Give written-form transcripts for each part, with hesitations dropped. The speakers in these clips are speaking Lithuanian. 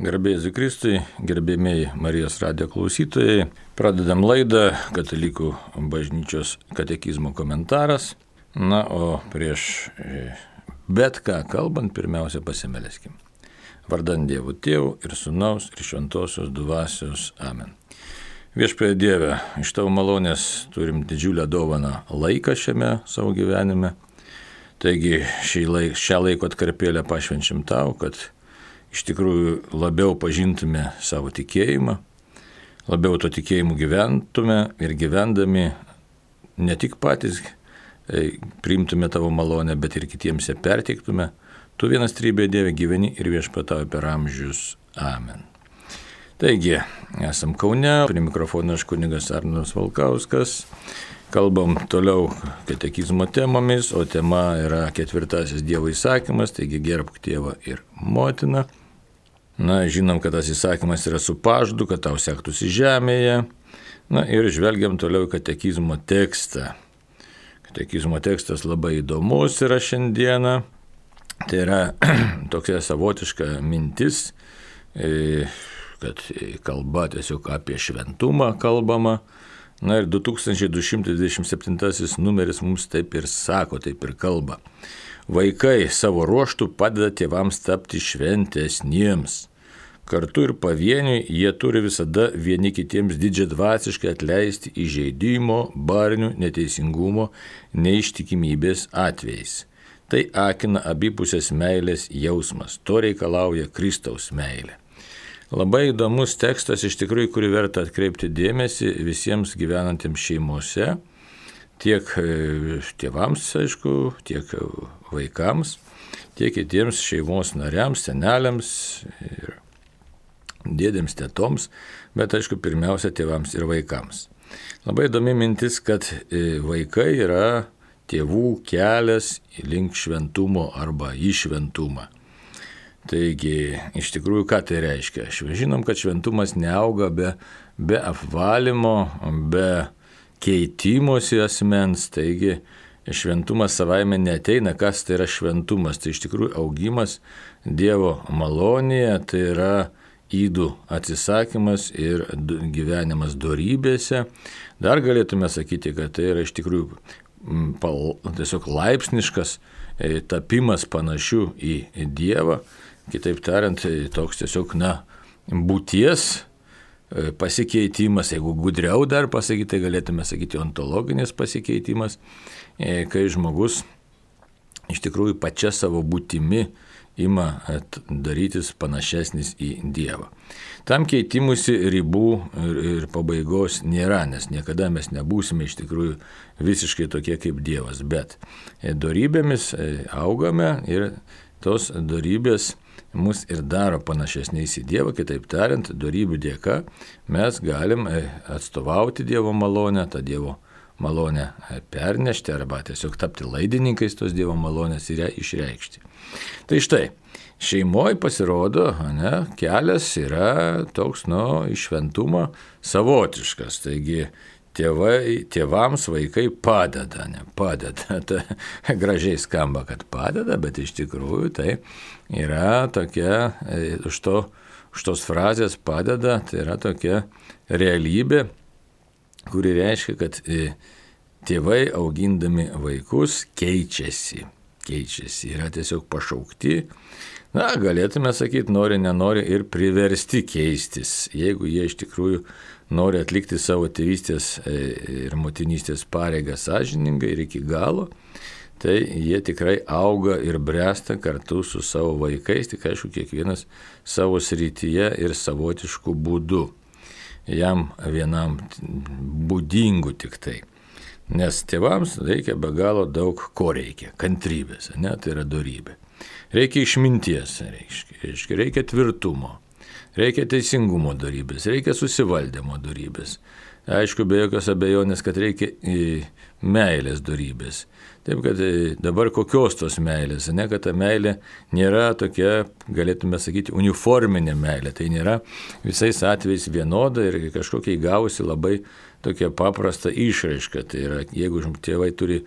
Garbė Jėzui Kristui, gerbėmiai Marijos radijo klausytojai, pradedam laidą Katalikų bažnyčios katekizmo komentaras. Na, o prieš bet ką kalbant, pirmiausia pasimeleskim. Vardant Dievo Tėvų ir Sūnaus ir Šventosios Dvasios. Amen. Viešpatie Dieve, iš Tavo malonės turim didžiulę dovaną laiką šiame savo gyvenime. Taigi šią laiko atkarpėlę pašvenčiam Tau, kad iš tikrųjų labiau pažintume savo tikėjimą, labiau to tikėjimu gyventume ir gyvendami ne tik patys priimtume Tavo malonę, bet ir kitiems ją perteiktume. Tu vienas trybė Dieve gyveni ir viešpatauji per amžius. Amen. Taigi, esam Kaune, prie mikrofono aš kunigas Arnas Valkauskas. Kalbam toliau katekizmo temomis, o tema yra 4 Dievo įsakymas, taigi gerbk tėvą ir motiną. Na, žinom, kad tas įsakymas yra su pažadu, kad tau sektųsi žemėje. Na ir žvelgiam toliau katekizmo tekstą. Katekizmo tekstas labai įdomus yra šiandieną. Tai yra tokia savotiška mintis, kad kalba tiesiog apie šventumą kalbama. Na ir 2227 numeris mums taip ir sako, taip ir kalba. Vaikai savo ruoštų padeda tėvams tapti šventesniems. Kartu ir pavieniui jie turi visada vieni kitiems didžiadvasiškai atleisti įžeidimo, barnių, neteisingumo, neištikimybės atvejais. Tai akina abipusės meilės jausmas, to reikalauja Kristaus meilė. Labai įdomus tekstas iš tikrųjų, kurį verta atkreipti dėmesį visiems gyvenantiems šeimose, tiek tėvams, aišku, tiek vaikams, tiek kitiems šeimos nariams, seneliams ir dėdėms, tetoms, bet aišku, pirmiausia tėvams ir vaikams. Labai įdomi mintis, kad vaikai yra tėvų kelias link šventumo arba į šventumą. Taigi, iš tikrųjų, ką tai reiškia? Žinom, kad šventumas neauga be apvalymo, be keitimosi asmens, taigi šventumas savaime neateina. Kas tai yra šventumas? Tai iš tikrųjų augimas Dievo malonėje, tai yra ydų atsisakymas ir gyvenimas dorybėse. Dar galėtume sakyti, kad tai yra iš tikrųjų tiesiog laipsniškas tapimas panašiu į Dievą. Kitaip tariant, toks tiesiog, būties pasikeitimas, jeigu gudriau dar pasakyti, tai galėtume sakyti ontologinis pasikeitimas, kai žmogus iš tikrųjų pačia savo būtimi ima darytis panašesnis į Dievą. Tam keitimusi ribų ir pabaigos nėra, nes niekada mes nebūsime iš tikrųjų visiškai tokie kaip Dievas, bet dorybėmis augame ir tos dorybės mus ir daro panašesniais į Dievą, kitaip tariant, dorybių dėka mes galim atstovauti Dievo malonę, tą Dievo malonę pernešti arba tiesiog tapti laidininkais tos Dievo malonės ir ją išreikšti. Tai štai, šeimoje pasirodo, kelias yra toks, į šventumą savotiškas, taigi tėvams vaikai padeda. Ta gražiai skamba, kad padeda, bet iš tikrųjų tai yra tokia, už tos frazės padeda, tai yra tokia realybė, kuri reiškia, kad tėvai augindami vaikus keičiasi, yra tiesiog pašaukti. Galėtume sakyti, nori, nenori ir priversti keistis, jeigu jie iš tikrųjų nori atlikti savo tėvystės ir motinystės pareigą sąžiningai ir iki galo, tai jie tikrai auga ir bręsta kartu su savo vaikais, tik aišku, kiekvienas savo srityje ir savotišku būdu, jam vienam būdingu tik tai. Nes tėvams reikia be galo daug ko reikia, kantrybės, tai yra dorybė. Reikia išminties, reikia tvirtumo. Reikia teisingumo dorybės, reikia susivaldymo dorybės. Aišku, be jokios abejonės, kad reikia meilės dorybės. Taip, kad dabar kokios tos meilės, kad ta meilė nėra tokia, galėtume sakyti, uniforminė meilė. Tai nėra visais atvejais vienoda ir kažkokia įgavusi labai tokia paprasta išraiška. Tai yra, jeigu tėvai turi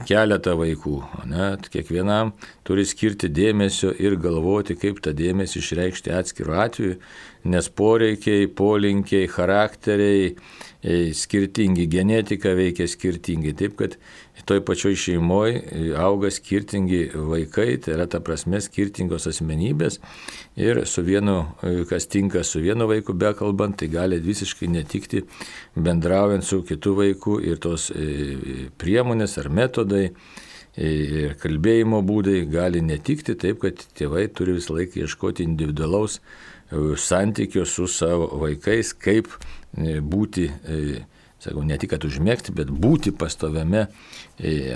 keletą vaikų. Net kiekvienam turi skirti dėmesio ir galvoti, kaip tą dėmesį išreikšti atskiru atveju, nes poreikiai, polinkiai, charakteriai skirtingi, genetika veikia skirtingai. Taip, kad toj pačioj šeimoje auga skirtingi vaikai, tai yra ta prasme skirtingos asmenybės ir su vienu, kas tinka su vienu vaiku bekalbant, tai gali visiškai netikti bendraujant su kitu vaiku ir tos priemonės ar metodai ir kalbėjimo būdai gali netikti, taip kad tėvai turi visą laiką ieškoti individualaus santykio su savo vaikais, kaip būti, sakau, ne tik kad užmėgti, bet būti pastoviame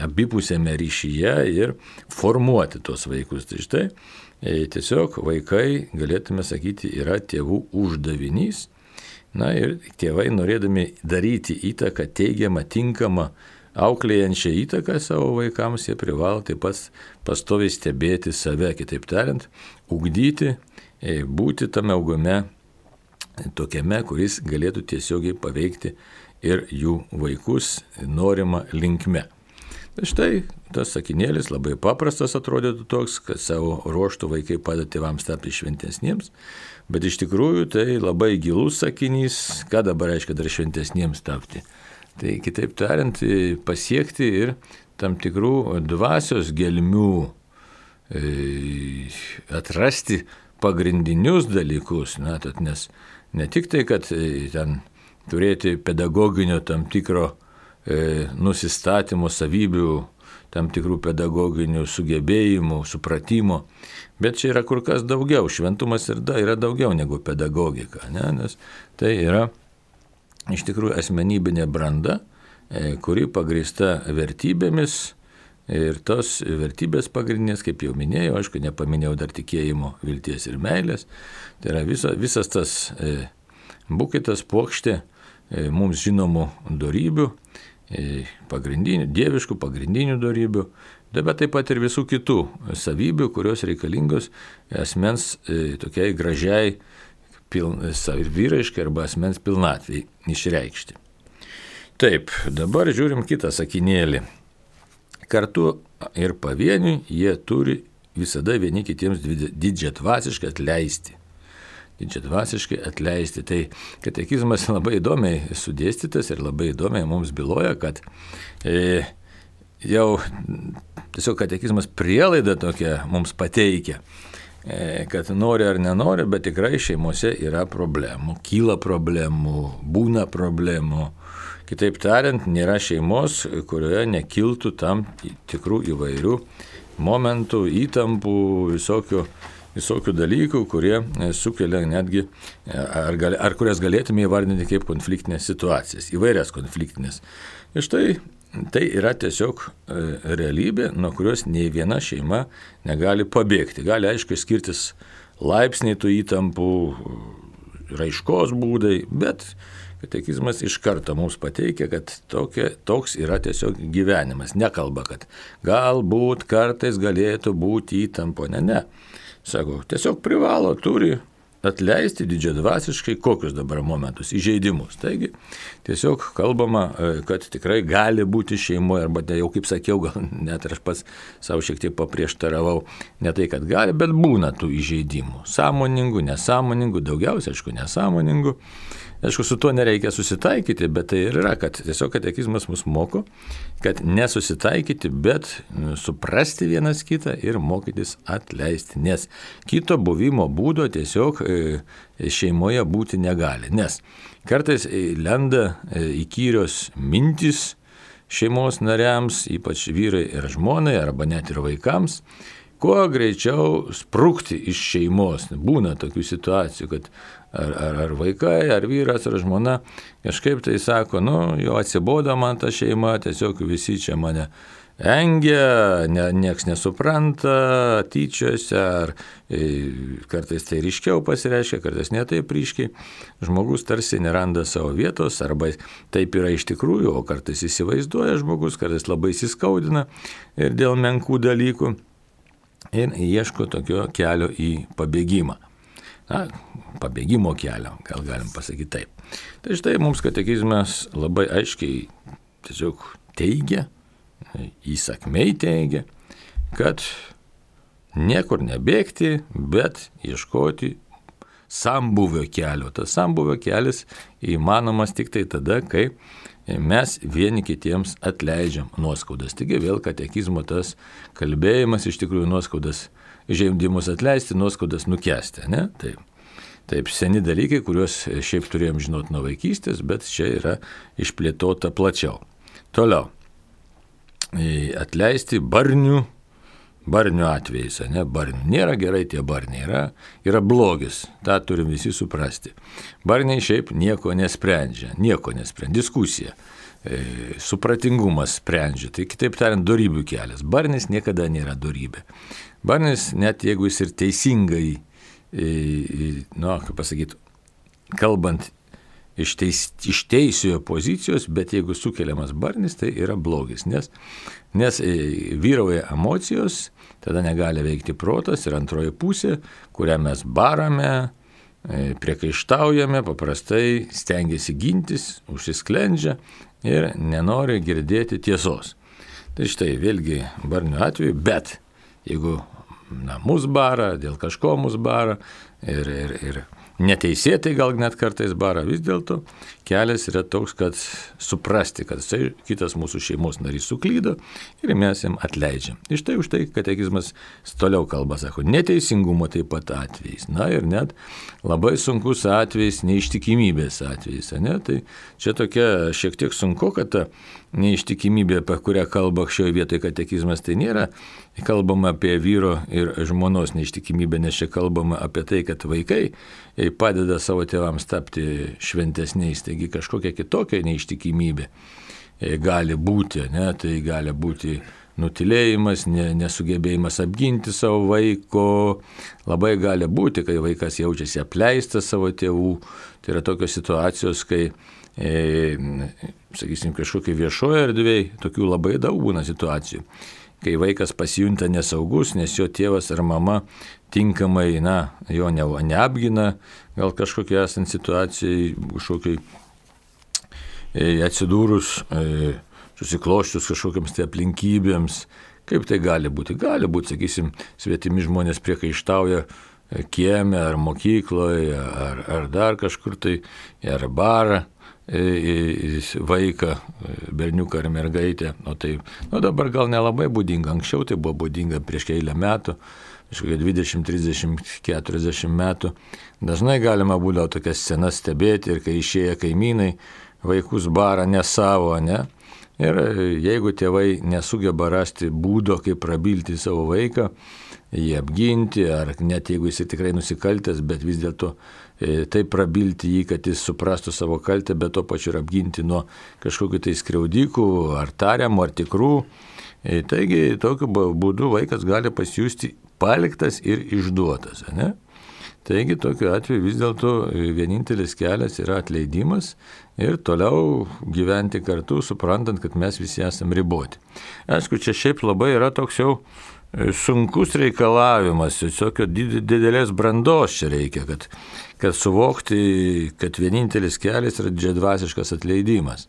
abipusėme ryšyje ir formuoti tos vaikus. Tai štai tiesiog vaikai, galėtume sakyti, yra tėvų uždavinys. Na ir tėvai, norėdami daryti įtaką, teigiamą, tinkamą, auklėjančią įtaką savo vaikams, jie privalo taip pat pastoviai stebėti save, kitaip tariant, ugdyti, būti tame augume tokiame, kuris galėtų tiesiogiai paveikti ir jų vaikus norima linkme. Tai štai tas sakinėlis labai paprastas atrodytų toks, kad savo ruoštų vaikai padeda tėvams tapti šventesniems, bet iš tikrųjų tai labai gilus sakinys, ką dabar reiškia dar šventesniems tapti. Tai kitaip tariant, pasiekti ir tam tikrų dvasios gelmių, atrasti pagrindinius dalykus, nes ne tik tai, kad ten turėti pedagoginio tam tikro nusistatymo savybių, tam tikrų pedagoginių sugebėjimų, supratimo, bet čia yra kur kas daugiau. Šventumas yra daugiau negu pedagogika, nes tai yra iš tikrųjų asmenybinė branda, kuri pagrįsta vertybėmis. Ir tos vertybės pagrindinės, kaip jau minėjau, aišku, nepaminėjau dar tikėjimo, vilties ir meilės. Tai yra visas tas buketas puokštė mums žinomų dorybių, pagrindinių, dieviškų pagrindinių dorybių, bet taip pat ir visų kitų savybių, kurios reikalingos asmens tokiai gražiai vyriškai arba asmens pilnatvei išreikšti. Taip, dabar žiūrim kitą sakinėlį. Kartu ir pavieniui jie turi visada vieni kitiems didžiadvasiškai atleisti. Didžiadvasiškai atleisti. Tai katekizmas labai įdomiai sudėstytas ir labai įdomiai mums byloja, kad jau tiesiog katekizmas prielaidą tokią mums pateikia, kad nori ar nenori, bet tikrai šeimose yra problemų, kyla problemų, būna problemų. Kitaip tariant, nėra šeimos, kurioje nekiltų tam tikrų įvairių momentų, įtampų, visokių dalykų, kurie sukelia netgi, ar kurias galėtume įvardinti kaip konfliktinės situacijas, įvairias konfliktinės. Ir štai tai yra tiesiog realybė, nuo kurios nei viena šeima negali pabėgti. Gali aišku skirtis laipsniai tų įtampų, raiškos būdai, bet katekizmas iš karto mums pateikia, kad toks yra tiesiog gyvenimas. Nekalba, kad galbūt kartais galėtų būti įtampo. Ne. Sako, tiesiog privalo, turi atleisti didžiadvasiškai kokius dabar momentus, įžeidimus. Taigi tiesiog kalbama, kad tikrai gali būti šeimoje, arba jau kaip sakiau, gal net aš pats savo šiek tiek paprieštaravau, ne tai, kad gali, bet būna tų įžeidimų. Sąmoningų, nesąmoningų, daugiausia, aišku, nesąmoningų. Aišku, su tuo nereikia susitaikyti, bet tai ir yra, kad tiesiog katekizmas mus moko, kad nesusitaikyti, bet suprasti vienas kitą ir mokytis atleisti, nes kito buvimo būdo tiesiog šeimoje būti negali, nes kartais lenda įkyrios mintys šeimos nariams, ypač vyrai ir žmonai, arba net ir vaikams, kuo greičiau sprukti iš šeimos. Būna tokių situacijų, kad ar vaikai, ar vyras, ar žmona kažkaip tai sako, jau atsibodo man ta šeima, tiesiog visi čia mane engia, nieks nesupranta, tyčiose, ar kartais tai ryškiau pasireiškia, kartais ne taip ryškiai. Žmogus tarsi neranda savo vietos, arba taip yra iš tikrųjų, o kartais įsivaizduoja žmogus, kartais labai įsiskaudina ir dėl menkų dalykų. Ir ieško tokio kelio į pabėgimą. Pabėgimo kelio, gal galim pasakyti taip. Tai štai mums katekizmas labai aiškiai tiesiog teigia, įsakmiai teigia, kad niekur nebėgti, bet ieškoti sambūvio kelio. Tas sambūvio kelias įmanomas tik tai tada, kai mes vieni kitiems atleidžiam nuoskaudas. Taigi vėl katekizmo tas kalbėjimas iš tikrųjų nuoskaudas, žeidimus atleisti, nuoskaudas nukęsti. Ne? Taip seni dalykai, kuriuos šiaip turėjom žinoti nuo vaikystės, bet čia yra išplėtota plačiau. Toliau. Atleisti barnių atvejais, ne, barnių. Nėra gerai tie barniai, yra blogis, tą turim visi suprasti. Barniai šiaip nieko nesprendžia, diskusija, supratingumas sprendžia, tai kitaip tariant, dorybių kelias. Barnis niekada nėra dorybė. Barnis, net jeigu jis ir teisingai, kalbant iš teisiojo pozicijos, bet jeigu sukeliamas barnis, tai yra blogis, nes vyrauja emocijos, tada negali veikti protas ir antroji pusė, kurią mes barame, priekaištaujame, paprastai stengiasi gintis, užsisklendžia ir nenori girdėti tiesos. Tai štai vėlgi barnių atveju, bet jeigu mus bara, dėl kažko mus bara ir neteisėtai gal net kartais bara, vis dėlto kelias yra toks, kad suprasti, kad kitas mūsų šeimos narys suklydo ir mes jam atleidžiam. Iš tai už tai katekizmas toliau kalba, sako, neteisingumo taip pat atvejais. Na ir net labai sunkus atvejais, neištikimybės atvejais. Ne? Tai čia tokia šiek tiek sunku, kad ta neištikimybė, apie kurią kalba šioje vietoje katekizmas, tai nėra kalbama apie vyro ir žmonos neištikimybę, nes čia kalbama apie tai, kad vaikai padeda savo tėvams tapti šventesniais, taigi kažkokia kitokia neištikimybė gali būti, ne? Tai gali būti nutilėjimas, nesugebėjimas apginti savo vaiko, labai gali būti, kai vaikas jaučiasi apleistas savo tėvų, tai yra tokios situacijos, kai sakysim, kažkokie viešoje erdvėje, tokių labai daug būna situacijų, kai vaikas pasijunta nesaugus, nes jo tėvas ar mama tinkamai, jo neapgina, gal kažkokia esant situacijai, kažkokiai atsidūrus, susikloščius kažkokiams tai aplinkybėms, kaip tai gali būti? Gali būti, sakysim, svetimi žmonės priekaištauja kieme ar mokykloje, ar dar kažkur tai, ar barą vaiką, berniuką ar mergaitę. Dabar gal nelabai būdinga, anksčiau tai buvo būdinga prieš keilę metų, kažkokia 20, 30, 40 metų. Dažnai galima būdavo tokias scenas stebėti ir kai išėję kaimynai vaikus bara ne savo, ne? Ir jeigu tėvai nesugeba rasti būdo, kaip prabilti savo vaiką, jį apginti, ar net jeigu jis tikrai nusikaltęs, bet vis dėlto taip prabilti jį, kad jis suprastų savo kaltę, bet to pačiu ir apginti nuo kažkokių tai skriaudikų, ar tariamų, ar tikrų. Taigi, tokiu būdu vaikas gali pasijusti paliktas ir išduotas, ne? Taigi, tokiu atveju vis dėlto vienintelis kelias yra atleidimas ir toliau gyventi kartu, suprantant, kad mes visi esame riboti. Aišku, čia šiaip labai yra toks jau sunkus reikalavimas, tiesiog didelės brandos čia reikia, kad suvokti, kad vienintelis kelias yra didžiadvasiškas atleidimas.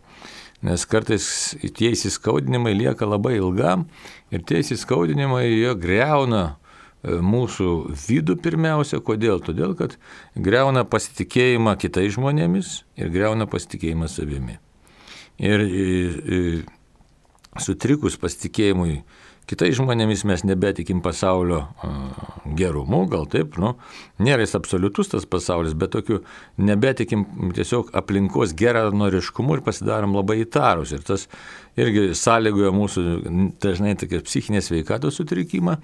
Nes kartais tie įsiskaudinimai lieka labai ilgam ir tie įsiskaudinimai jie greuna mūsų vidų pirmiausia. Kodėl? Todėl, kad greuna pasitikėjimą kitais žmonėmis ir greuna pasitikėjimą savimi. Ir sutrikus pasitikėjimui kitais žmonėmis mes nebetikim pasaulio gerumu, gal taip, nėra jis absoliutus tas pasaulis, bet tokiu nebetikim tiesiog aplinkos geranoriškumu ir pasidarom labai įtarus. Ir tas irgi sąlygoja mūsų dažnai tokia psichinės sveikatos sutrikimą,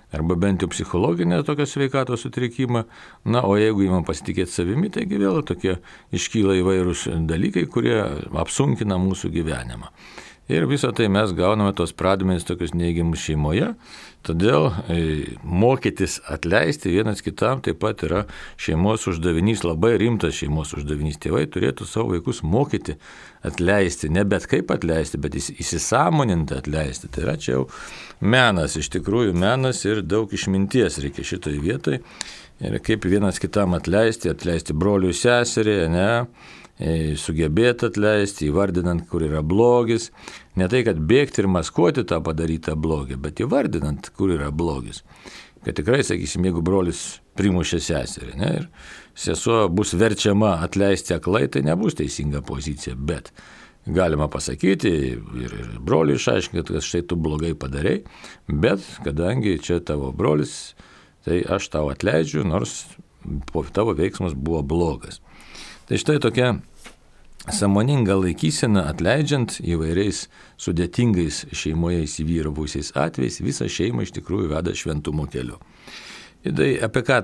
arba bent jau psichologinė tokia sveikatos sutrikimą. O jeigu įmam pasitikėti savimi, taigi vėl tokie iškyla įvairūs dalykai, kurie apsunkina mūsų gyvenimą. Ir visą tai mes gauname tos pradmenis tokius neigiamus šeimoje, todėl mokytis atleisti vienas kitam taip pat yra šeimos uždavinys, labai rimtas šeimos uždavinys. Tėvai turėtų savo vaikus mokyti atleisti, ne bet kaip atleisti, bet įsisąmoninti atleisti. Tai yra čia jau menas, iš tikrųjų menas ir daug išminties reikia šitoj vietoj. Ir kaip vienas kitam atleisti broliui seserį, ne? sugebėti atleisti, įvardinant, kur yra blogis. Ne tai, kad bėgti ir maskuoti tą padarytą blogį, bet įvardinant, kur yra blogis. Kad tikrai, sakysim, jeigu brolis primušė seserį, ne, ir sesuo bus verčiama atleisti aklai, tai nebus teisinga pozicija, bet galima pasakyti ir broliui išaiškinti, kad štai tu blogai padarei, bet kadangi čia tavo brolis, tai aš tau atleidžiu, nors tavo veiksmas buvo blogas. Tai štai tokia sąmoninga laikysena atleidžiant įvairiais sudėtingais šeimoje įsivyravusiais atvejais, visą šeimą iš tikrųjų veda šventumo keliu. Ir tai apie ką,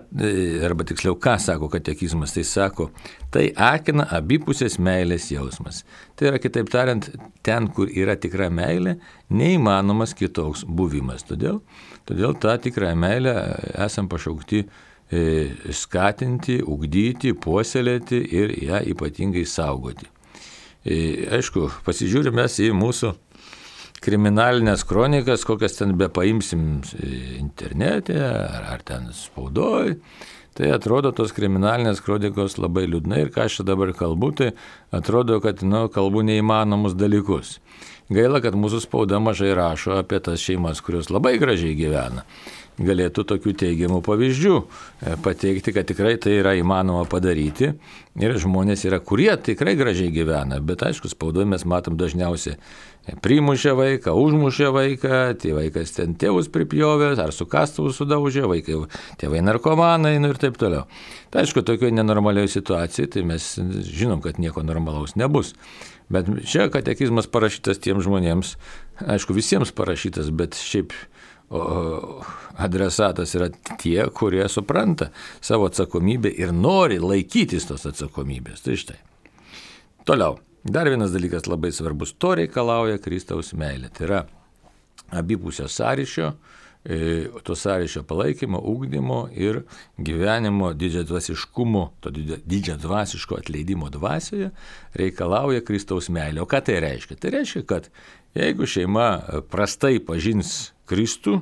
arba tiksliau, ką sako katekizmas, tai sako, tai akina abipusės meilės jausmas. Tai yra, kitaip tariant, ten, kur yra tikra meilė, neįmanomas kitoks buvimas. Todėl tą tikrą meilę esam pašaukti skatinti, ugdyti, puoselėti ir ją ypatingai saugoti. Aišku, pasižiūrime į mūsų kriminalinės kronikas, kokias ten bepaimsim internete ar ten spaudoj, tai atrodo tos kriminalinės kronikos labai liūdnai ir ką aš dabar kalbu, tai atrodo, kad kalbu neįmanomus dalykus. Gaila, kad mūsų spauda mažai rašo apie tas šeimas, kurios labai gražiai gyvena. Galėtų tokių teigiamų pavyzdžių pateikti, kad tikrai tai yra įmanoma padaryti ir žmonės yra, kurie tikrai gražiai gyvena, bet aišku, spaudoje mes matom dažniausiai primušė vaiką, užmušė vaiką, tai vaikas ten tėvus pripjovė, ar su kastuvu sudaužė, vaikai, tėvai narkomanai ir taip toliau. Tai aišku, tokioje nenormalioje situacijoje, tai mes žinom, kad nieko normalaus nebus. Bet čia katekizmas parašytas tiems žmonėms, aišku, visiems parašytas, bet šiaip adresatas yra tie, kurie supranta savo atsakomybę ir nori laikytis tos atsakomybės. Tai štai. Toliau. Dar vienas dalykas labai svarbus. To reikalauja Kristaus meilė. Tai yra abipusio sąryšio, to sąryšio palaikymo, ugdymo ir gyvenimo didžiadvasiškumo, to didžiadvasiško atleidimo dvasioje reikalauja Kristaus meilė. O ką tai reiškia? Tai reiškia, kad jeigu šeima prastai pažins Kristų,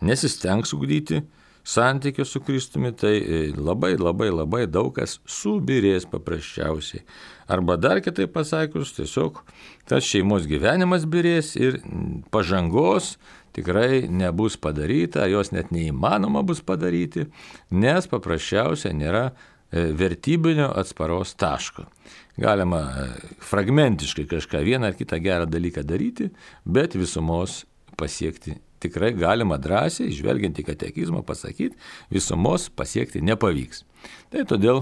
nesistengs ugdyti santykio su Kristumi, tai labai daug kas subirės paprasčiausiai. Arba dar kitaip pasakius, tiesiog tas šeimos gyvenimas birės ir pažangos tikrai nebus padaryta, jos net neįmanoma bus padaryti, nes paprasčiausiai nėra vertybinio atsparos taško. Galima fragmentiškai kažką vieną ar kitą gerą dalyką daryti, bet visumos pasiekti tikrai galima drąsiai, žvelgiant į katekizmą, pasakyti, visumos pasiekti nepavyks. Tai todėl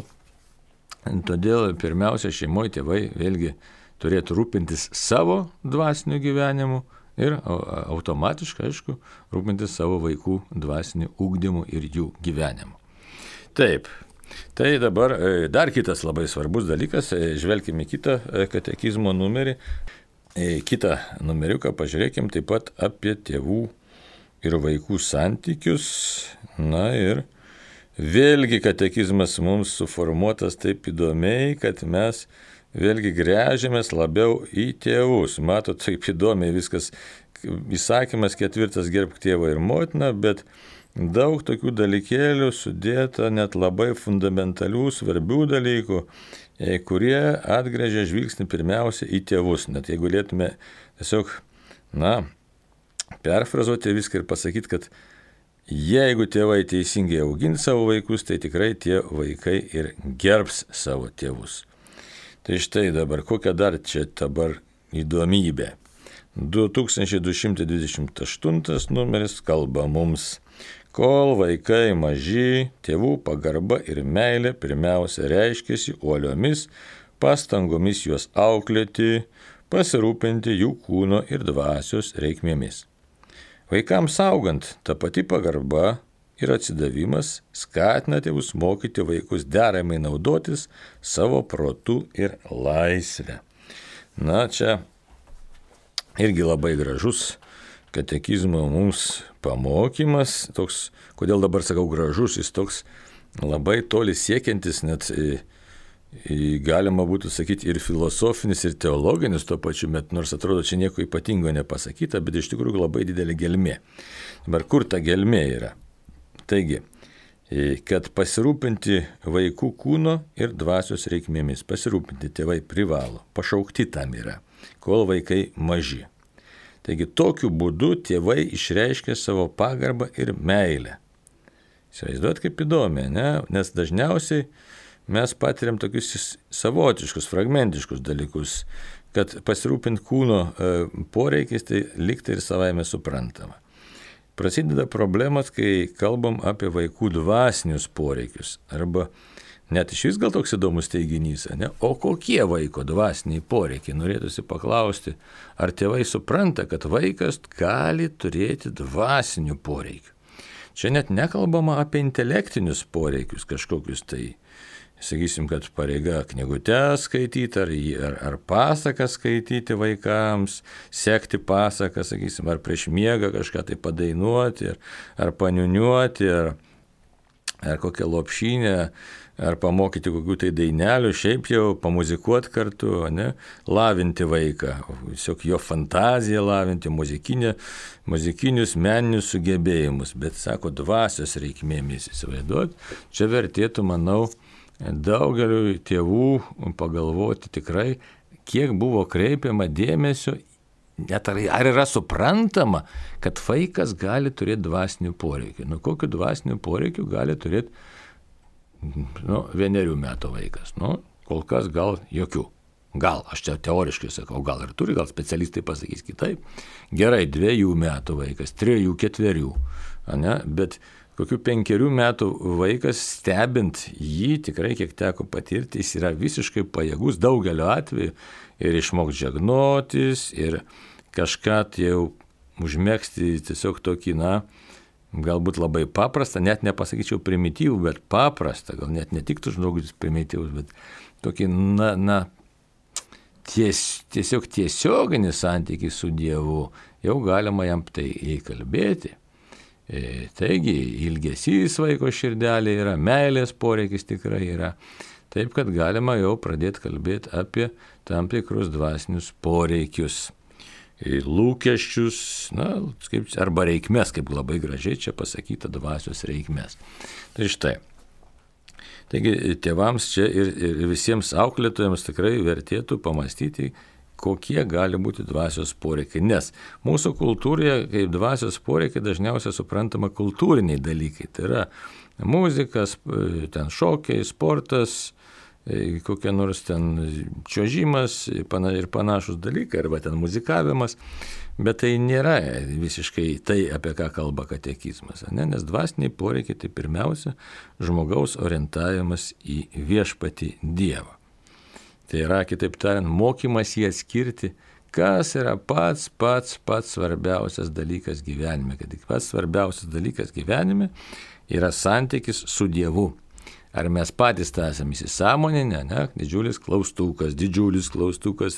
pirmiausia šeimoje tėvai vėlgi turėtų rūpintis savo dvasiniu gyvenimu ir automatiškai, aišku, rūpintis savo vaikų dvasiniu ugdymu ir jų gyvenimu. Taip. Tai dabar dar kitas labai svarbus dalykas, žvelkime kitą katekizmo numerį. Kitą numeriuką pažiūrėkim taip pat apie tėvų ir vaikų santykius. Na ir vėlgi katekizmas mums suformuotas taip įdomiai, kad mes vėlgi gręžiamės labiau į tėvus. Matot, taip įdomiai viskas, įsakymas 4 gerbk tėvą ir motiną, bet daug tokių dalykėlių sudėta, net labai fundamentalių, svarbių dalykų, kurie atgręžia žvilgsnį pirmiausia į tėvus. Net jeigu galėtume tiesiog, perfrazuoti viską ir pasakyti, kad jeigu tėvai teisingai augins savo vaikus, tai tikrai tie vaikai ir gerbs savo tėvus. Tai štai dabar, kokia dar čia dabar įdomybė. 2228 numeris kalba mums. Kol vaikai maži, tėvų pagarba ir meilė pirmiausia reiškiasi uoliomis pastangomis juos auklėti, pasirūpinti jų kūno ir dvasios reikmėmis. Vaikams augant, ta pati pagarba ir atsidavimas skatina tėvus mokyti vaikus deramai naudotis savo protu ir laisvę. Na, čia irgi labai gražus katekizmo mums pamokymas, toks, kodėl dabar sakau gražus, jis toks labai toli siekiantis, net galima būtų sakyti ir filosofinis, ir teologinis tuo pačiu metu, nors atrodo čia nieko ypatingo nepasakyta, bet iš tikrųjų labai didelė gelmė. Dabar kur ta gelmė yra? Taigi, kad pasirūpinti vaikų kūno ir dvasios reikmėmis. Pasirūpinti tėvai privalo, pašaukti tam yra, kol vaikai maži. Taigi tokiu būdu tėvai išreiškia savo pagarbą ir meilę. Įsivaizduot kaip įdomi, ne? Nes dažniausiai mes patiriam tokius savotiškus, fragmentiškus dalykus, kad pasirūpinti kūno poreikiais tai liktai ir savaime suprantama. Prasideda problemas, kai kalbam apie vaikų dvasinius poreikius, arba net iš vis gal toks įdomus teiginys, ne? O kokie vaiko dvasiniai poreikiai? Norėtųsi paklausti, ar tėvai supranta, kad vaikas gali turėti dvasinių poreikių. Čia net nekalbama apie intelektinius poreikius kažkokius tai. Sakysim, kad pareiga knygutes skaityti, ar pasaką skaityti vaikams, sekti pasaką, sakysim, ar prieš miegą kažką tai padainuoti, ar paniuniuoti, ar kokią lopšinę, ar pamokyti kokių tai dainelių, šiaip jau pamuzikuoti kartu, ne? Lavinti vaiką, tiesiog jo fantaziją lavinti, muzikinius meninius sugebėjimus, bet sako dvasios reikmėmis įsivaizduoti, čia vertėtų, manau, daugeliu tėvų pagalvoti tikrai, kiek buvo kreipiama dėmesio, net ar yra suprantama, kad vaikas gali turėti dvasinių poreikių. Kokiu dvasinių poreikių gali turėti 1 metų vaikas? Kol kas gal jokių. Gal, aš čia teoriškai sakau, gal ir turi, gal specialistai pasakys kitaip. Gerai, 2 metų vaikas, 3, 4, ne? Bet kokių 5 metų vaikas, stebint jį, tikrai kiek teko patirti, jis yra visiškai pajėgus daugeliu atveju ir išmokti žegnotis, ir kažką jau užmegzti tiesiog tokį, galbūt labai paprastą, net nepasakyčiau primityvų, bet paprastą, gal net netiktų žmogus primityvus, bet tokį, tiesiog tiesioginį santykį su Dievu, jau galima jam tai įkalbėti. Taigi, ilgesys vaiko širdelė yra, meilės poreikis tikrai yra. Taip, kad galima jau pradėti kalbėti apie tam tikrus dvasinius poreikius, lūkesčius, arba reikmes, kaip labai gražiai čia pasakyta, dvasios reikmes. Tai štai. Taigi, tėvams čia ir visiems auklėtojams tikrai vertėtų pamastyti, kokie gali būti dvasios poreikiai. Nes mūsų kultūroje kaip dvasios poreikiai dažniausiai suprantama kultūriniai dalykai. Tai yra muzikas, ten šokiai, sportas, kokie nors ten čiuožimas ir panašus dalykai, arba ten muzikavimas. Bet tai nėra visiškai tai, apie ką kalba katekizmas. Nes dvasiniai poreikiai tai pirmiausia žmogaus orientavimas į viešpatį Dievą. Tai yra, kitaip tariant, mokymas jį atskirti, kas yra pats svarbiausias dalykas gyvenime. Kad pats svarbiausias dalykas gyvenime yra santykis su Dievu. Ar mes patys tą esame įsisąmoninę, ne? Didžiulis klaustukas,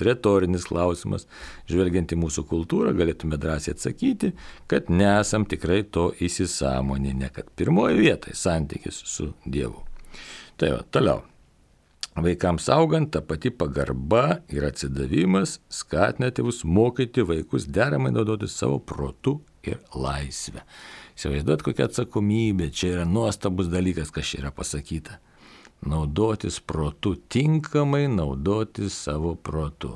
retorinis klausimas. Žvelgiant į mūsų kultūrą, galėtume drąsiai atsakyti, kad nesam tikrai to įsisąmoninę, kad pirmoje vietoje santykis su Dievu. Tai toliau. Vaikams augant, ta pati pagarba ir atsidavimas skatina tėvus mokyti vaikus deramai naudoti savo protu ir laisvę. Įsivaizduot, kokia atsakomybė, čia yra nuostabus dalykas, kas čia yra pasakyta. Naudotis protu, tinkamai naudotis savo protu.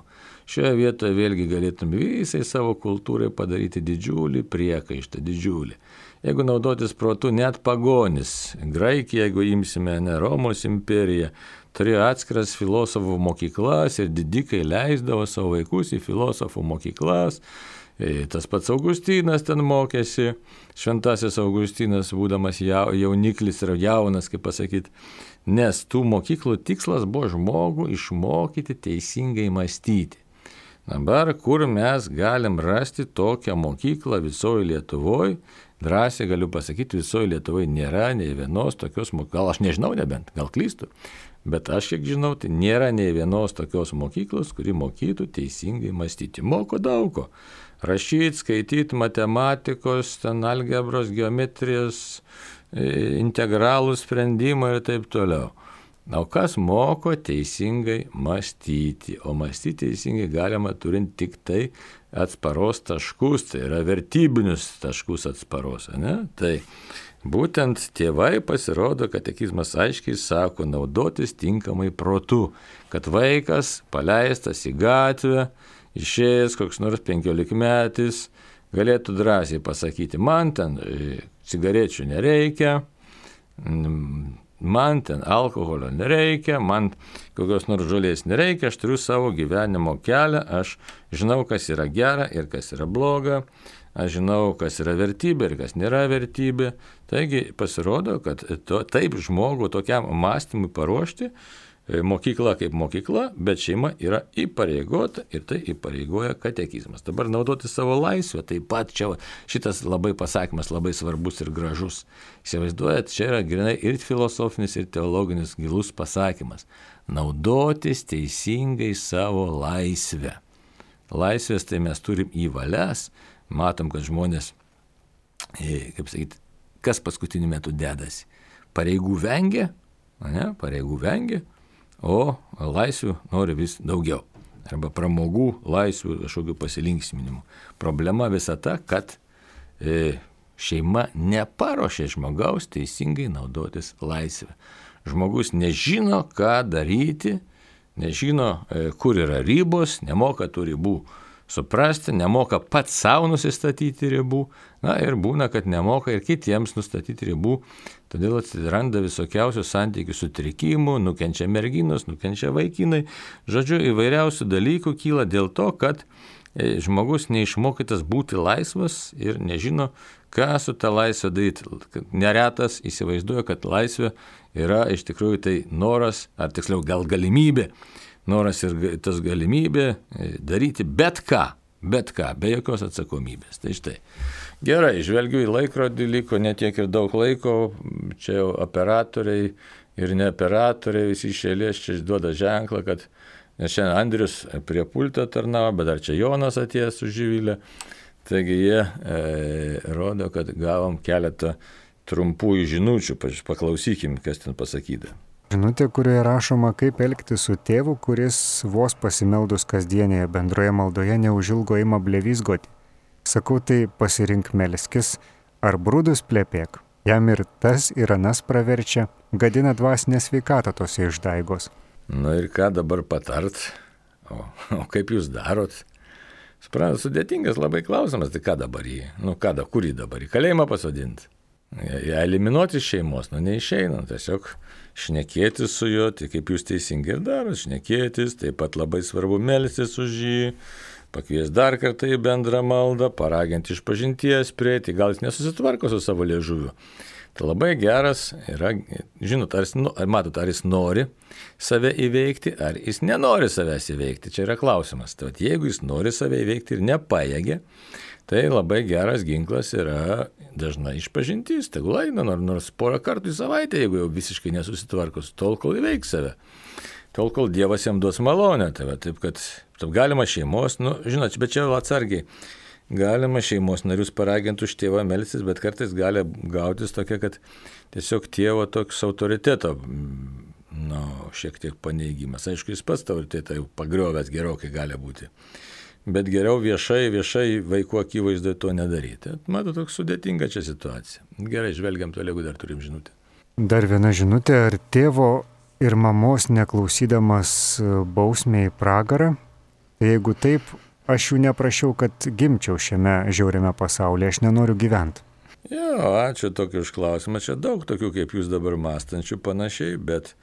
Šioje vietoje vėlgi galėtume visai savo kultūrai padaryti didžiulį priekaištą, didžiulį. Jeigu naudotis protu, net pagonis, Graikija, jeigu imsime Romos imperiją, turėjo atskiras filosofų mokyklas ir didikai leisdavo savo vaikus į filosofų mokyklas. Tas pats Augustinas ten mokėsi, šventasis Augustinas, būdamas jauniklis ir jaunas, kaip pasakyti, nes tų mokyklų tikslas buvo žmogų išmokyti teisingai mąstyti. Dabar, kur mes galim rasti tokią mokyklą visoje Lietuvoje, drąsiai galiu pasakyti, visoje Lietuvoje nėra nei vienos tokios mokyklos, gal aš nežinau nebent, gal klystu, bet aš kiek žinau, tai nėra nei vienos tokios mokyklos, kuri mokytų teisingai mąstyti. Moko daug ko. Rašyti, skaityti, matematikos, ten algebros, geometrijos, integralų sprendimą ir taip toliau. O kas moko teisingai mąstyti? O mąstyti teisingai galima turint tik tai atsparos taškus, tai yra vertybinius taškus atsparos. Ne? Tai Būtent tėvai pasirodo, katekizmas aiškiai sako naudotis tinkamai protu, kad vaikas paleistas į gatvę, išėjęs koks nors 15-metis, galėtų drąsiai pasakyti, man ten cigarečių nereikia, man ten alkoholio nereikia, man kokios nors žolės nereikia, aš turiu savo gyvenimo kelią, aš žinau, kas yra gera ir kas yra bloga, aš žinau, kas yra vertybė ir kas nėra vertybė. Taigi pasirodo, kad taip žmogų tokiam mąstymui paruošti, mokykla kaip mokykla, bet šeima yra įpareigota ir tai įpareigoja katekizmas. Dabar naudoti savo laisvę, taip pat čia šitas labai pasakymas labai svarbus ir gražus. Įsivaizduojat, čia yra grinai ir filosofinis, ir teologinis gilus pasakymas. Naudotis teisingai savo laisvę. Laisvės tai mes turim į valias, matom, kad žmonės, kaip sakyti, kas paskutiniu metu dedasi? Pareigų vengia, pareigų vengia, o laisvių nori vis daugiau. Arba pramogų, laisvių, kažkokių pasilinksminimų. Problema visa ta, kad šeima neparuošia žmogaus teisingai naudotis laisvę. Žmogus nežino, ką daryti, nežino, kur yra ribos, nemoka tų ribų suprasti, nemoka pats savo nusistatyti ribų, ir būna, kad nemoka ir kitiems nustatyti ribų, todėl atsiranda visokiausių santykių sutrikimų, nukenčia merginos, nukenčia vaikinai, žodžiu, įvairiausių dalykų kyla dėl to, kad žmogus neišmokytas būti laisvas ir nežino, ką su ta laisvė daryti. Neretas įsivaizduoja, kad laisvė yra iš tikrųjų tai noras, ar tiksliau gal galimybė, noras ir tas galimybė daryti bet ką, be jokios atsakomybės. Tai štai. Gerai, žvelgiu į laikrodį, liko netiek ir daug laiko, čia jau operatoriai ir ne operatoriai, visi iš eilės čia duoda ženklą, kad nes šiandien Andrius prie pulto tarnavo, bet dar čia Jonas atėjęs su Živilė. Taigi jie rodo, kad gavom keletą trumpųjų žinučių, paklausykim, kas ten pasakyta. Žinutė, kurioje rašoma, kaip elgtis su tėvu, kuris vos pasimeldus kasdienėje bendroje maldoje neužilgo ima blevizgoti. Sakau, tai pasirink melskis, ar brudus plepėk. Jam ir tas ir anas praverčia, gadina dvasinę sveikatą tose išdaigos. Ir ką dabar patart? O kaip jūs darot? Suprantat, sudėtingas labai klausimas, tai ką dabar jį? Kur jį dabar? Į kalėjimą pasodinti? Eliminuoti iš šeimos, neišeina, tiesiog šnekėtis su juo, tai kaip jūs teisingai ir darot, šnekėtis, taip pat labai svarbu melstis už jį, pakvies dar kartą į bendrą maldą, paraginti išpažinties prieiti, gal jis nesusitvarko su savo liežuviu. Tai labai geras yra, žinot, ar jis nori save įveikti, ar jis nenori savęs įveikti, čia yra klausimas. Tai jeigu jis nori save įveikti ir nepajėgia, tai labai geras ginklas yra dažnai išpažintis, tegul eina nors porą kartų į savaitę, jeigu jau visiškai nesusitvarkos, tol kol įveiks save, tol kol Dievas jam duos malonę. Taip kad galima šeimos, žinot, bet čia atsargiai, galima šeimos narius paraginti už tėvą melstis, bet kartais gali gautis tokia, kad tiesiog tėvo toks autoriteto, šiek tiek paneigimas. Aišku, jis pats autoritetą jau pagriovęs gerokai gali būti. Bet geriau viešai vaikų akivaizdoje to nedaryti. Matau, toks sudėtinga čia situacija. Gerai, žvelgiam toliau, jeigu dar turim žinutę. Dar viena žinutė, ar tėvo ir mamos neklausydamas bausmė į pragarą? Jeigu taip, aš jų neprašiau, kad gimčiau šiame žiauriame pasaulyje, aš nenoriu gyventi. Jo, ačiū tokį užklausimą. Čia daug tokių, kaip jūs dabar mąstančių panašiai, bet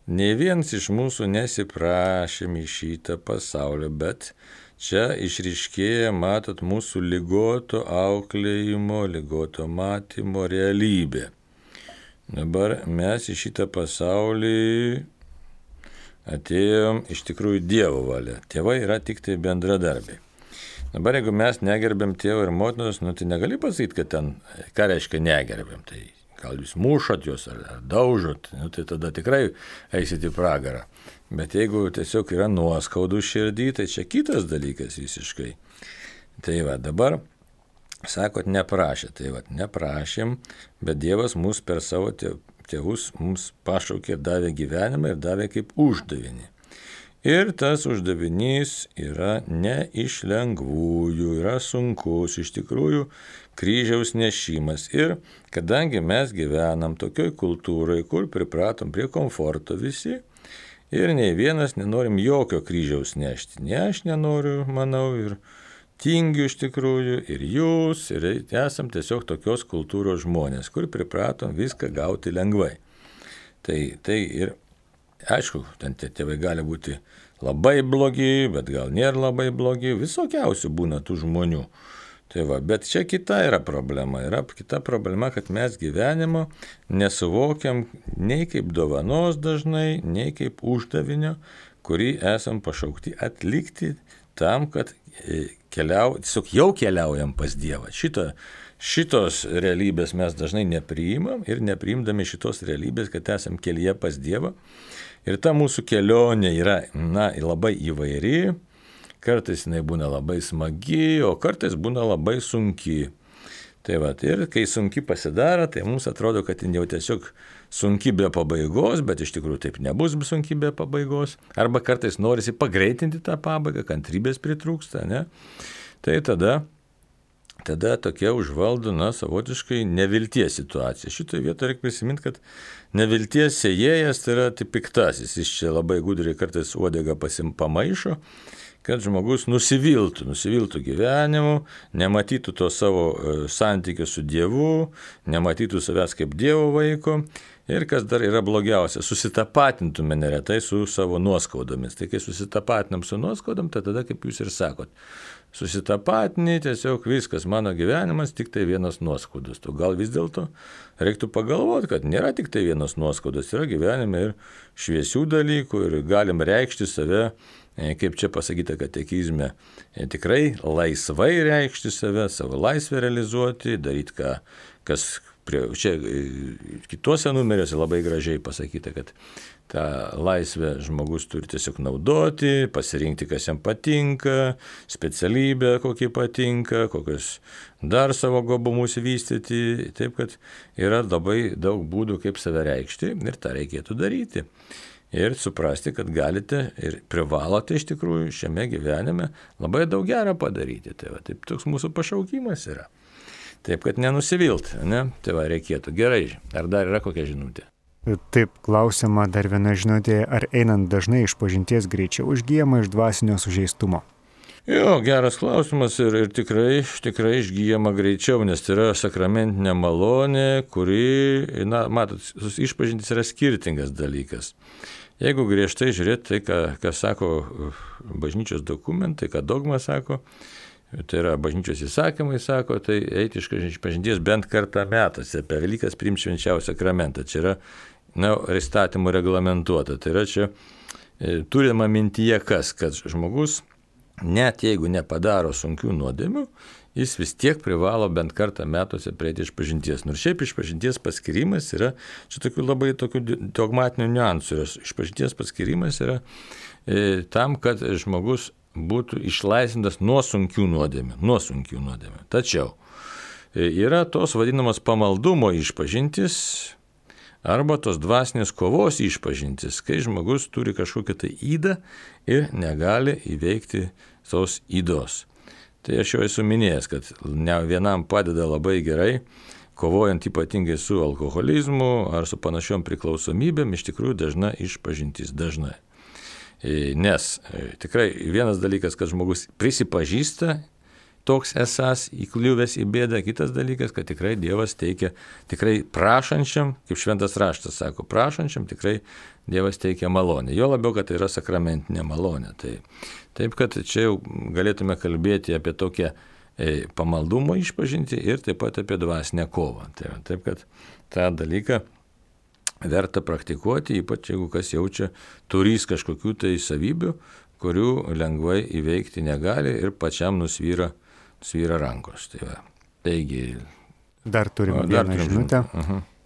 nei vienas iš mūsų nesiprašėm į šitą pasaulį, bet čia išryškėja, matot, mūsų ligoto auklėjimo, ligoto matymo realybė. Dabar mes į šitą pasaulį atėjom iš tikrųjų Dievo valia. Tėvai yra tik tai bendradarbiai. Dabar jeigu mes negerbėm tėvo ir motinos, tai negali pasakyti, kad ten, ką reiškia negerbėm. Tai gal jūs mušat juos ar daužot, tai tada tikrai eisit į pragarą. Bet jeigu tiesiog yra nuoskaudų širdį, tai čia kitas dalykas visiškai. Tai dabar, sakot, neprašė. Tai neprašėm, bet Dievas mus per savo tėvus mums pašaukė ir davė gyvenimą ir davė kaip uždavinį. Ir tas uždavinys yra ne iš lengvųjų, yra sunkus. Iš tikrųjų, kryžiaus nešimas. Ir kadangi mes gyvenam tokioj kultūrai, kur pripratom prie komforto visi, ir nei vienas nenorim jokio kryžiaus nešti. Ne aš nenoriu, manau, ir tingiu iš tikrųjų, ir jūs, ir esam tiesiog tokios kultūros žmonės, kur pripratom viską gauti lengvai. Tai ir, aišku, ten tie tėvai gali būti labai blogi, bet gal nėra labai blogi, visokiausių būna tų žmonių. Tai va, bet čia kita yra problema. Yra kita problema, kad mes gyvenimo nesuvokiam nei kaip dovanos dažnai, nei kaip uždavinio, kurį esam pašaukti atlikti tam, kad tiesiog jau keliaujam pas Dievą. Šitos realybės mes dažnai nepriimam ir nepriimdami šitos realybės, kad esam kelyje pas Dievą. Ir ta mūsų kelionė yra labai įvairi, kartais jinai būna labai smagi, o kartais būna labai sunki. Tai va, ir kai sunki pasidaro, tai mums atrodo, kad jin jau tiesiog sunki be pabaigos, bet iš tikrųjų taip nebus sunki be pabaigos. Arba kartais norisi pagreitinti tą pabaigą, kantrybės pritrūksta, ne? Tai tada tokia užvaldo, savotiškai nevilties situacija. Šitoje vietoje reikia prisiminti, kad nevilties sėjėjas tai yra piktasis. Jis čia labai gudriai kartais uodegą pamaišo, kad žmogus nusiviltų gyvenimu, nematytų to savo santykio su Dievu, nematytų savęs kaip Dievo vaiko ir kas dar yra blogiausia, susitapatintume neretai su savo nuoskaudomis. Tai kai susitapatinam su nuoskaudom, tai tada, kaip jūs ir sakot, susitapatini, tiesiog viskas, mano gyvenimas tik tai vienas nuoskaudas. Tu gal vis dėlto reiktų pagalvoti, kad nėra tik tai vienas nuoskaudas, yra gyvenime ir šviesių dalykų ir galim reikšti save, kaip čia pasakyta katekizme, tikrai laisvai reikšti save, savo laisvę realizuoti, daryti kas čia kitose numeriuose labai gražiai pasakyta, kad tą laisvę žmogus turi tiesiog naudoti, pasirinkti, kas jam patinka, specialybę, kokį patinka, kokius dar savo gabumus vystyti. Taip, kad yra labai daug būdų, kaip save reikšti ir tą reikėtų daryti. Ir suprasti, kad galite ir privalote iš tikrųjų šiame gyvenime labai daug gero padaryti. Tai va, taip toks mūsų pašaukimas yra. Taip, kad nenusivilt, ne? Tai va, reikėtų. Gerai, ar dar yra kokia žinutė? Taip, klausima dar viena žinutė, ar einant dažnai išpažinties greičiau užgyjama iš dvasinio sužeistumo? Jo, geras klausimas ir tikrai išgyjama greičiau, nes tai yra sakramentinė malonė, kuri, matot, išpažintis yra skirtingas dalykas. Jeigu griežtai žiūrėti tai, ką sako bažnyčios dokumentai, ką dogma sako, tai yra bažnyčios įsakymai sako, tai eiti išpažinties bent kartą metuose, per Velykas priimti švenčiausią sakramentą. Čia yra įstatymų reglamentuota. Tai yra čia turima mintyje kad žmogus, net jeigu nepadaro sunkių nuodėmių, jis vis tiek privalo bent kartą metuose prieiti išpažinties. Nors šiaip išpažinties paskirimas yra, čia tokių dogmatinių niuansų, išpažinties paskirimas yra tam, kad žmogus būtų išlaisvintas nuo sunkių nuodėmių. Tačiau yra tos vadinamos pamaldumo išpažintis arba tos dvasinės kovos išpažintis, kai žmogus turi kažkokią tai ydą ir negali įveikti tos ydos. Tai aš jau esu minėjęs, kad ne vienam padeda labai gerai, kovojant ypatingai su alkoholizmu ar su panašiom priklausomybėm, iš tikrųjų dažna išpažintis dažnai. Nes tikrai vienas dalykas, kad žmogus prisipažįsta toks esas įkliuvęs į bėdą, kitas dalykas, kad tikrai Dievas teikia, tikrai prašančiam, kaip šventas raštas sako, prašančiam tikrai Dievas teikia malonę. Jo labiau, kad tai yra sakramentinė malonė. Taip, kad čia jau galėtume kalbėti apie tokią pamaldumo išpažinti ir taip pat apie dvasinę kovą. Taip, kad tą dalyką verta praktikuoti, ypač jeigu kas jaučia turys kažkokių tai savybių, kurių lengvai įveikti negali ir pačiam nusvyra rankos. Taigi. Dar turime vieną žinutę.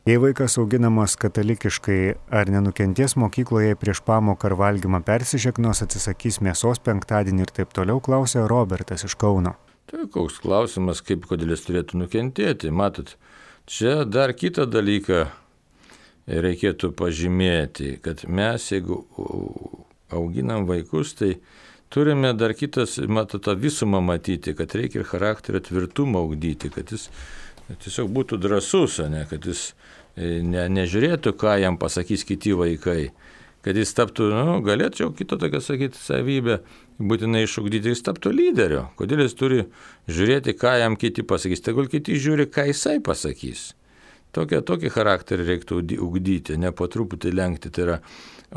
Jei vaikas auginamas katalikiškai, ar nenukentės mokykloje prieš pamoką ar valgymą persižegnos, atsisakys mėsos penktadienį ir taip toliau, klausė Robertas iš Kauno. Tai koks klausimas, kodėl jis turėtų nukentėti. Matot, čia dar kitą dalyką reikėtų pažymėti, kad mes, jeigu auginam vaikus, tai turime dar kitas, tą visumą matyti, kad reikia ir charakterio tvirtumą ugdyti, kad jis tiesiog būtų drąsus, ne, kad jis nežiūrėtų, ką jam pasakys kiti vaikai, kad jis taptų, galėčiau kito tokia sakyti savybę, būtinai išugdyti, jis taptų lyderiu. Kodėl jis turi žiūrėti, ką jam kiti pasakys, tegul kiti žiūri, ką jisai pasakys. Tokį charakterį reiktų ugdyti, ne po truputį lenkti. Tai yra,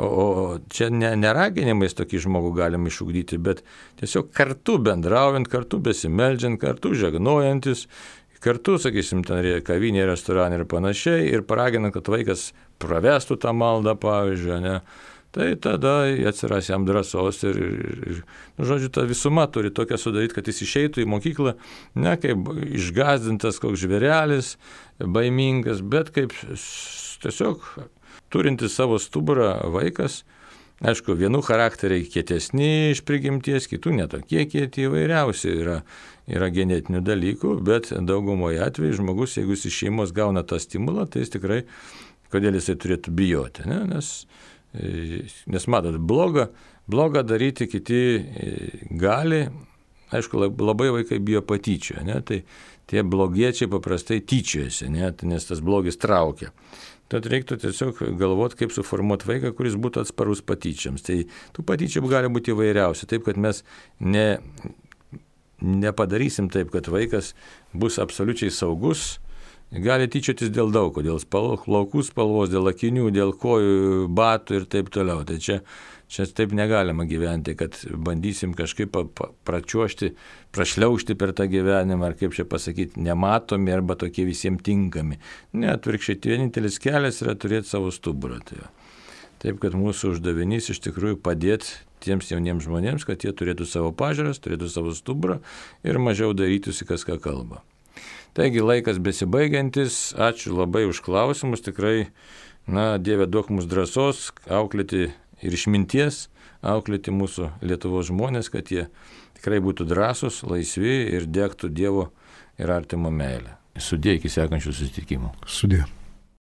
o čia neraginimais tokį žmogų galim išugdyti, bet tiesiog kartu bendraujant, kartu besimeldžiant, kartu žegnojantis, kartu, sakysim, ten kavinė, restoranai ir panašiai, ir paraginant, kad vaikas pravestų tą maldą, pavyzdžiui, ne. Tai tada atsiras jam drąsos ir žodžiu, ta visuma turi tokią sudaryti, kad jis išeitų į mokyklą ne kaip išgąsdintas koks žvėrelis, baimingas, bet kaip tiesiog turintis savo stuburą vaikas. Aišku, vienų charakteriai kietesni iš prigimties, kitų netokie kieti, įvairiausi yra genetinių dalykų, bet daugumoje atveju žmogus, jeigu jis iš šeimos gauna tą stimulą, tai jis tikrai, kodėl jisai turėtų bijoti, ne? Nes matot, blogą daryti kiti gali, aišku, labai vaikai bijo patyčio, ne? Tai tie blogiečiai paprastai tyčiojasi, ne? Nes tas blogis traukia. Tad reiktų tiesiog galvoti, kaip suformuoti vaiką, kuris būtų atsparus patyčiams. Tai tų patyčių gali būti įvairiausi, taip kad mes nepadarysim taip, kad vaikas bus absoliučiai saugus. Gali tyčiotis dėl daug ko, dėl plaukų spalvos, dėl akinių, dėl kojų, batų ir taip toliau. Tai čia taip negalima gyventi, kad bandysim kažkaip pračiuošti, prašliaužti per tą gyvenimą, ar kaip čia pasakyti, nematomi arba tokie visiems tinkami. Ne, atvirkščiai, vienintelis kelias yra turėti savo stuburą. Taip, kad mūsų uždavinys iš tikrųjų padėti tiems jauniems žmonėms, kad jie turėtų savo pažiūras, turėtų savo stuburą ir mažiau darytųsi kas ką kalba. Taigi laikas besibaigiantis, ačiū labai už klausimus, tikrai, Dieve duok mums drąsos auklėti ir išminties, auklėti mūsų Lietuvos žmonės, kad jie tikrai būtų drąsūs, laisvi ir degtų Dievo ir artimo meilę. Sudie iki sekančių susitikimų. Sudie.